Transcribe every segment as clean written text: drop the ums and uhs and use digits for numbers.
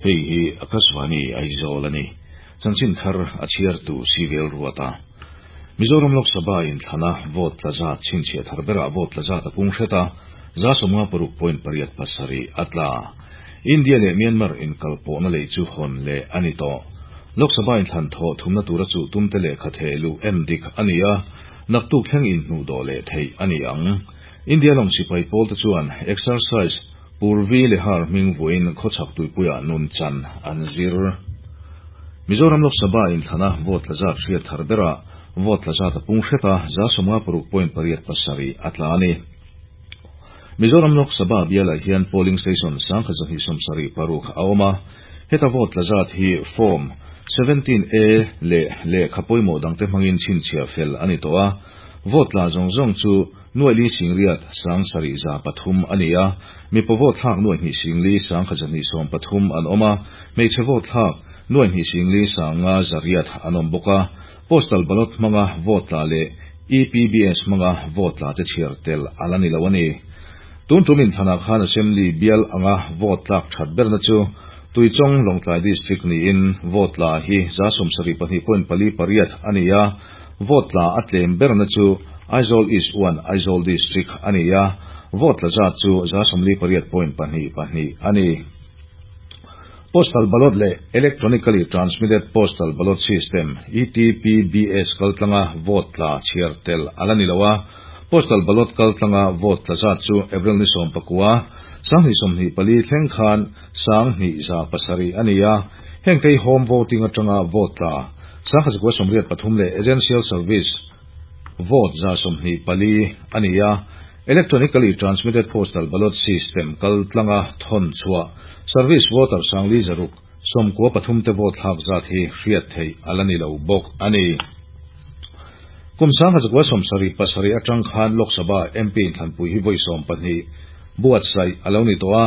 Hei hi Akashvani Aizawl a ni. Chanchin thar a chhiartu Civil Ruata. Mizoram Lok Sabha inthlana vote tla zat chhinchhiah thar berah vote tla zat a pung hret a, 56.87 a tla. India leh Myanmar inkalpawhna lei chu hawn leh a ni tawh. Lok Sabha inthlan thawh thumna tura chuh tumte lehkha theh luh en dik a ni a, naktuk thleng inhnuhdawh leh theih a ni ang. India lawng sipai pawlte chuan exercise Purvi Lehar hming vuain khawchhak tuipuiah nun chan an zir. Mizoram Lok Sabha inthlana vote tla zat hriat thar berah vote tla zat a pung hret a, 56.87 a tla a ni. Mizoram Lok Sabha bialah hian polling station 1276 a awm a, heta vote tla zat hi Form 17A leh lehkha pawimawh dangte hmangin chhinchhiah fel a ni tawh a, vote tla zawng zawng chu Nuaili singriat 7303 a ni a, mipa vote thlak 2 213 an awm a, hmeichhe vote thlak 2 500 an awm bawk a. Postal ballot hmanga vote tla leh EPBS hmanga vote tla te chhiar tel a la ni lo a ni. Tun tum inthlanah khan Assembly bial anga vote tlak that berna chu Tuichawng Lawngtlai District niin vote tla hi 72.48 a ni a, vote tla a tlem berna chu Aizawl East 1 Aizawl District a ni a, vote tla zat chu 48.22 a ni. Postal ballot leh Electronically Transmitted Postal Ballot System, ETPBS, kaltlanga vote tla chhiar tel a la ni lo a, postal ballot kaltlanga vote tla zat chu April ni 19, 2024 thleng khan 2700 a ni a, heng te hi home voting atanga vote tla 1183 leh Essential Service vote 124 a ni a. Electronically Transmitted Postal Ballot System kaltlanga thawn chhuah Service voter 5693 te vote thlak zat hi hriat theih a la ni lo bawk a ni. Kum 1977 atang khan Lok Sabha MP inthlanpui hi vawi 12 buatsaih a lo ni tawh a,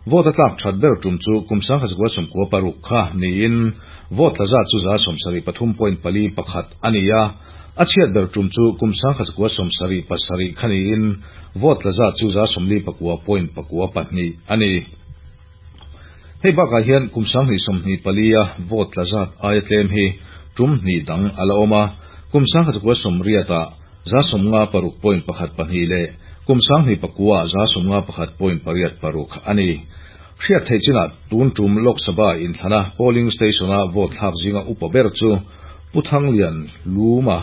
vote a tlak that ber tum chu kum 1996 kha niin vote tla zat chu 73.41 a ni a, a chhiat ber tum chu kum 1977 kha niin vote tla zat chu 59.92 a ni. Hei bakah hian kum 2024 a vote tla zat aia tlem hi tum hnih dang a la awm a, kum 1980 ah 56.12 leh kum 2009 ah 51.86 a ni. Hriat theih chinah tun tum Lok Sabha inthlana polling station a vote thlak zinga upa ber chu Pu Thanglian Luma,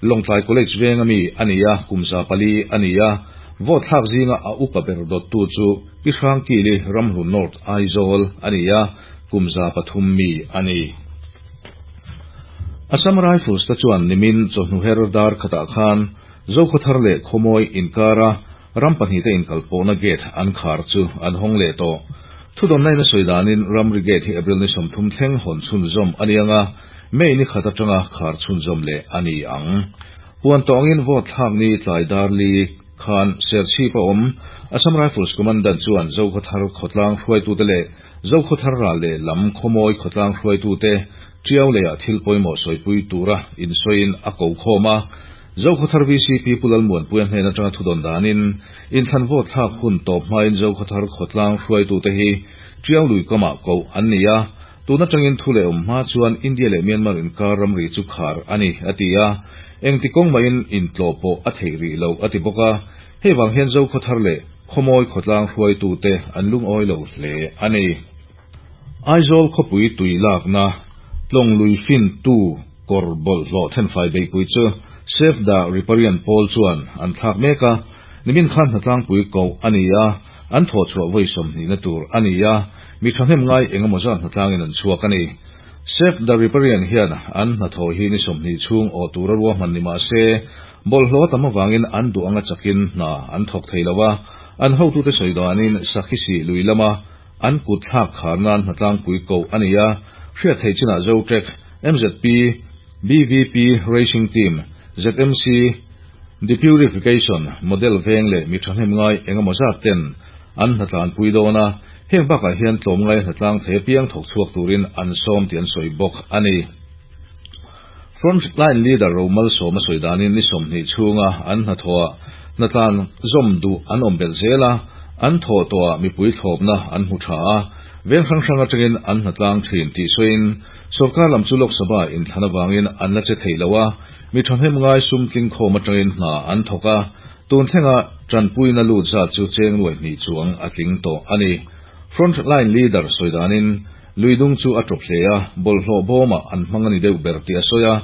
Lawngtlai College veng ami a ni a, kum 400 a ni a, vote thlak zinga a upa ber dawttu chu Pi Hrangkili Ramhlun North Aizawl a ni a, kum 300 mi a ni. Assam Rifles te chuan nimin chawhnu her dar khatah khan Zokhawthar leh Khawmawi inkara ram pahnih te inkalpawhna gate an khar chu an hawng leh tawh. Thudawnna in a sawi danin ramri gate hi April ni 30 thleng hawn chhunzawm a ni anga, May ni khat atanga khar chhunzawm leh a ni ang. Puan tawngin vote thlak ni tlai dar li khan Serchhip a awm Assam Rifles Commandant chuan Zokhawthar khawtlang hruaitute leh Zokhawthar ral leh lam Khawmawi khawtlang hruaitute Tiau leiah thil pawimawh sawipui tura insawiin a ko khawm a. Zokhawthar VCP Pu Lalmuanpuia hnen atanga thudawn danin inthlan vote thlak hun tawp hmain Zokhawthar khawtlang hruaitute hi Tiau lui kamah koh an ni a. Tun atangin thu leh awm hma chuan India leh Myanmar inkar ramri chu khar a ni, a ti a. Engti kawng mahin intlawh pawh a theih rih lo, a ti bawk a. Hei vang hian Zokhawthar leh Khawmawi khawtlang hruaitute an lungawi lo hle a ni. Aizawl khawpui tui lakna tlawng lui fin tu kawr bawlhhlawh thenfai beihpui chu Save the Riparian pawl chuan an thlak mek a, nimin khan hnatlangpui koh a ni a, an thawhchhuah vawi 20 na tur a ni a, mi thahnem ngai engemaw zat hnatlangin an chhuak a ni. Save the Riparian hian an hnathawh hi ni 20 chhung awh tura ruahman ni mah se, bawlhhlawh tam avangin an duh anga chakin hna an thawk thei lo a, an hotute sawi danin Sakhisi lui lama an kut thlak khar nan hnatlangpui koh a ni a, hriat theih chinah Zotrek, MZP, BVP Racing Team, ZMC, Depurification, Model veng leh mi thahnem ngai engemaw zat ten an hnatlanpui dawn a, heng bakah hian tlawmngai hnatlang thei apiang thawk chhuak turin an sawm tih an sawi bawk a ni. Frontline leader Romal Sawma sawi danin ni 20 chhunga an hnathawhah hnatlan zawm duh an awm belh zel a, an thawh tawhah mipui thlawpna an hmu tha a, Veng hrang hrang atangin an hnatlang thin tih sawiin, Sorkar lam chu Lok Sabha inthlan avangin an la che thei lo a, mi thahnem ngai sum tling khawm atangin hna an thawk a, tun thlenga tanpuina lut zat chu cheng nuai hnih chuang a tling tawh a ni. Front line leader sawi danin, lui dung chu a tawp hle a, bawlhhlawh bawmah an hmang a ni deuh ber tih a sawi a,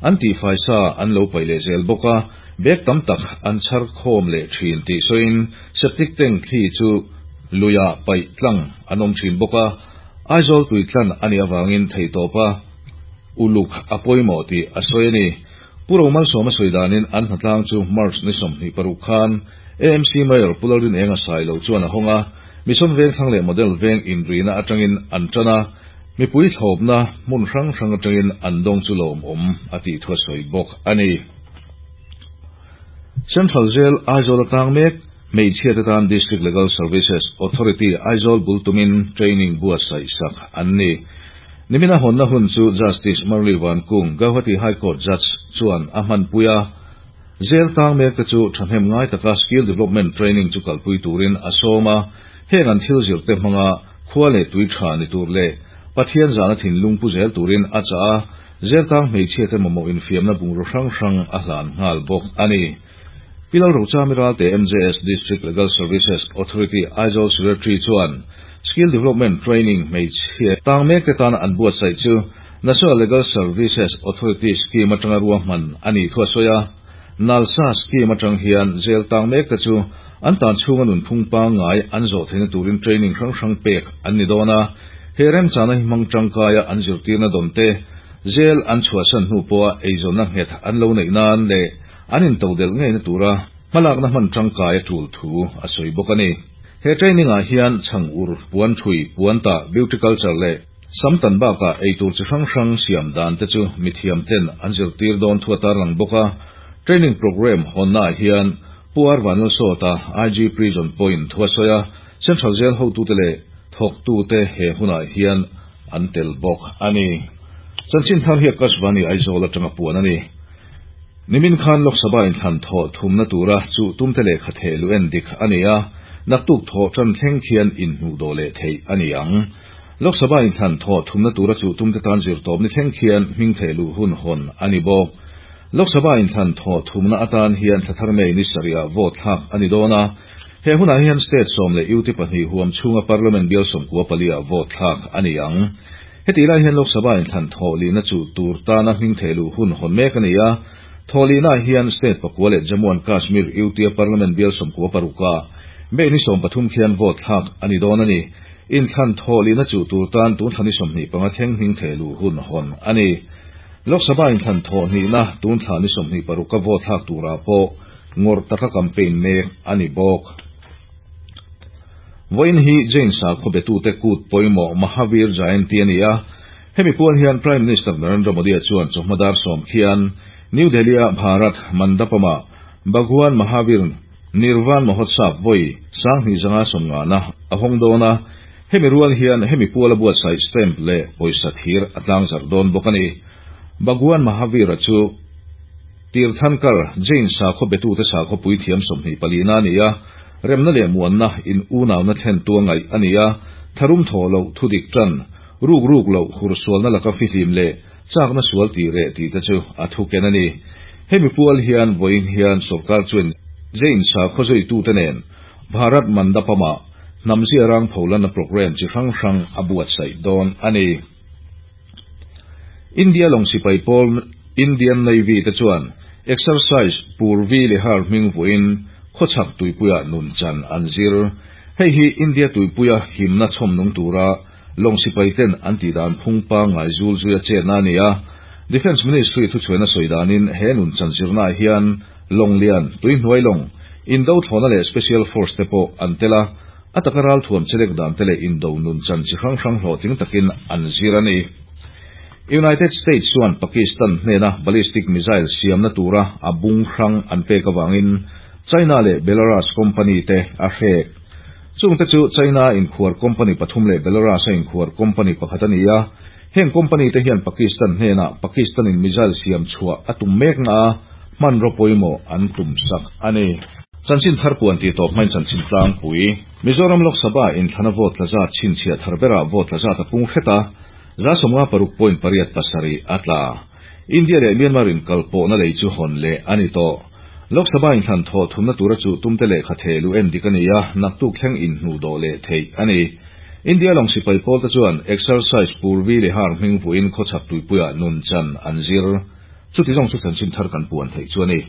an tihfai sa an lo paih leh zel bawk a, bag tam tak an chhar khawm leh thin tih sawiin septic tank thli chu luiah paih tlang an awm thin bawk a, Aizawl tui tlan a nih avangin theihtawpa uluk a pawimawh tih a sawi a ni. Pu Romalsawma sawi danin an hnatlang chu March ni 26 khan AMC Mayor Pu Lalrinenga Sailo chuan a hawng a, Mission Vengthlang leh Model Veng inrina atangin an tan a, mipui thlawpna hmun hrang hrang atangin an dawng chu lawmawm a tih thu a sawi bawk a ni. Central Jail Aizawl atang mek hmeichhia te tan District Legal Services Authority Aizawl bul tumin training buatsaih sak an ni. Nimina hawnna hun chu Justice Murali Vankung, Gauhati High Court Judge chuan a hmanpui a. Jail tang mek te chu thahnem ngai taka skill development training chu kalpui turin a sawm a, heng an thil zir te hmanga khua leh tui tha ni tur leh Pathian zahna thinlung pu zel turin a chah a, jail tang hmeichhia te mamawh infiamna bungraw hrang hrang a hlan nghal bawk a ni. Pi Lalrochami Ralte MJS District Legal Services Authority Aizawl Secretary chuan skill development training hmeichhia tang mek te tana an buatsaih chu National Legal Services Authority scheme atanga ruahman a nih thu a sawi a, NALSA scheme atang hian jail tang mek te chu an tan chhunga nunphung pangngai an zawh theihna turin training hrang hrang pek an ni dawn a, he remchana hi hmang tangkaia an zirtirna dawn te, jail an chhuahsan hnu pawha eizawnna nghet an lo neih nan leh an intodelh ngeina tura hmalakna hman tangkai a tul thu a sawi bawk a ni. He training ah hian chhang ur, puan thui, puan tah, beauty culture leh Samtan bakah eitur chi hrang hrang siam dan te chu mithiam ten an zirtir dawn thu a tarlang bawk a. Training programme hawnna ah hian Pu R Vanlalsawta, IG Prison pawhin thu a sawi a, Central Jail hotute leh thawktute he hunah hian an tel bawk a ni. Chanchin thar hi Akashvani Aizawl atanga puan a ni. Nimin khan Lok Sabha inthlan thawh thumna tura chuh tumte lehkha theh luh en dik a ni a, naktuk thawh tan thleng khian inhnuhdawh leh theih a ni ang. Lok Sabha inthlan thawh thumna tura chuh tumte tan zirtawp ni thleng khian hming theh luh hun hawn a ni bawk. Lok Sabha inthlan thawh thumna atan hian thla thar May ni sarihah vote thlak a ni dawn a. He hunah hian state 10 leh UT pahnih huam chhunga Parliament bial 94 ah vote thlak a ni ang. Hetih lai hian Lok Sabha inthlan thawh lihna chuh tur tana hming theh luh hun hawn mek a ni a. Thawh lihnaah hian state pakua leh Jammu and Kashmir UT a Parliament bial 96 ah May ni 13 khian vote thlak a ni dawn a ni. Inthlan thawh lihna chuh tur tan tun thla ni 25 thleng hming theh luh hun hawn a ni. Lok Sabha inthlan thawh hnihna tun thla ni 26 a vote thlak turah pawh ngawrh taka campaign mek a ni bawk. Vawiin hi Jain sakhaw betute kut pawimawh Mahavir Jayanti a ni a, hemi puan hian Prime Minister Narendra Modi-a chuan chawhma dar 10 khian New Delhi-a Bharat Mandapam-ah Bhagwan Mahavir Nirvan Mahotsav vawi 2550na a hawng dawn a, hemi rual hian hemi puala buatsaih stamp leh pawisa thir a tlangzarh dawn bawk a ni. Bhagwan Mahavir-a chu Tirthankar, Jain sakhaw betute sakhaw puithiam 24 na a ni a, remna leh muanna in unauna thlen tu a ngaih a ni a, tharum thaw loh thu dik tan, ruk ruk loh hursualna laka fihlim leh chakna sual tih reh tih te chu a thu ken a ni. Hemi pual hian vawiin hian sorkar chuan Jain sakhaw zuitute nen Bharat Mandapam-ah hnam ziarang pholanna programme chi hrang hrang a buatsaih dawn a ni. India lawng sipai pawl Indian Navy te chuan exercise Purvi Lehar hming vuahin khawchhak tuipuia nun chan an zir. Hei hi India tuipuia himna chhawmnung tura lawng sipai ten an tih dan phung pangngai zul zuia chetna a ni a. Defence Ministry thuchhuaina sawi danin he nun chan zirnaah hian lawng lian, tuihnuai lawng, indo thlawhna leh special force te pawh an tel a, a taka ral thuam chelek dan te leh indo nun chan chi hrang hrang hlawhtling takin an zir a ni. United States chuan Pakistan hnena ballistic missile siamna tura a bung hrang an pek avangin China leh Belarus company te a hrek. Chungte chu China inkhuar company pathum leh Belarus a inkhuar company pakhat a ni a, heng company te hian Pakistan hnenah Pakistan in missile siam chhuah a tum mek na a, hmanraw pawimawh an tum sak a ni. Chanchin thar puan tih tawp hmain chanchin tlangpui. Mizoram Lok Sabha inthlana vote tla zat chhinchhiah thar berah vote tla zat a pung hret a, 56.87 a tla. India leh Myanmar inkalpawhna lei chu hawn leh a ni tawh. Lok Sabha inthlan thawh thumna tura chuh tumte lehkha thehluh en dik a ni a, naktuk thleng inhnuhdawh leh theih a ni. India lawng sipai pawlte chuan exercise Purvi leh Har hming vuahin khawchhak tuipuiah nun chan an zir. Chuti zawng chu chanchin thar kan puan theih chu a ni.